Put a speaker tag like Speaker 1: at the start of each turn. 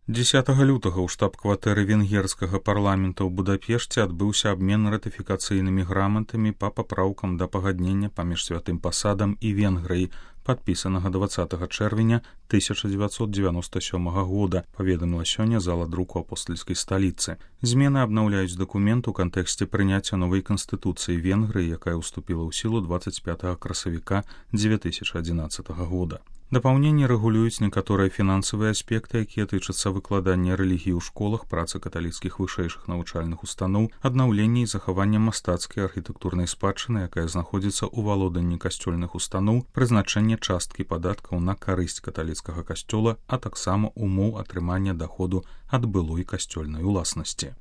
Speaker 1: 10 лютага ў штаб-кватэры венгерскага парламента ў Будапешце адбыўся абмен ратыфікацыйнымі граматамі па папраўкам да пагаднення паміж святым пасадам і Венгрыяй, падпісанага 20 чэрвеня 1997 года, паведаміла сёння зала друку апостальскай сталіцы. Змены абнаўляюць дакумент у кантэксце прыняцця новай канстытуцыі Венгрыі, якая ўступіла ў сілу 25 красавіка 2011 года. Дапаўненні рэгулююць некаторыя фінансавыя аспекты, якія тычацца выкладання рэлігіі ў школах, працы каталіцкіх вышэйшых навучальных устаноў, аднаўлення і захавання мастацкай архітэктурнай спадчыны, якая знаходзіцца ў валоданні касцёльных устаноў, прызначэнне часткі падаткаў на карысць каталіцкага касцёла, а таксама умоў атрымання даходу ад былой касцёльнай уласнасці.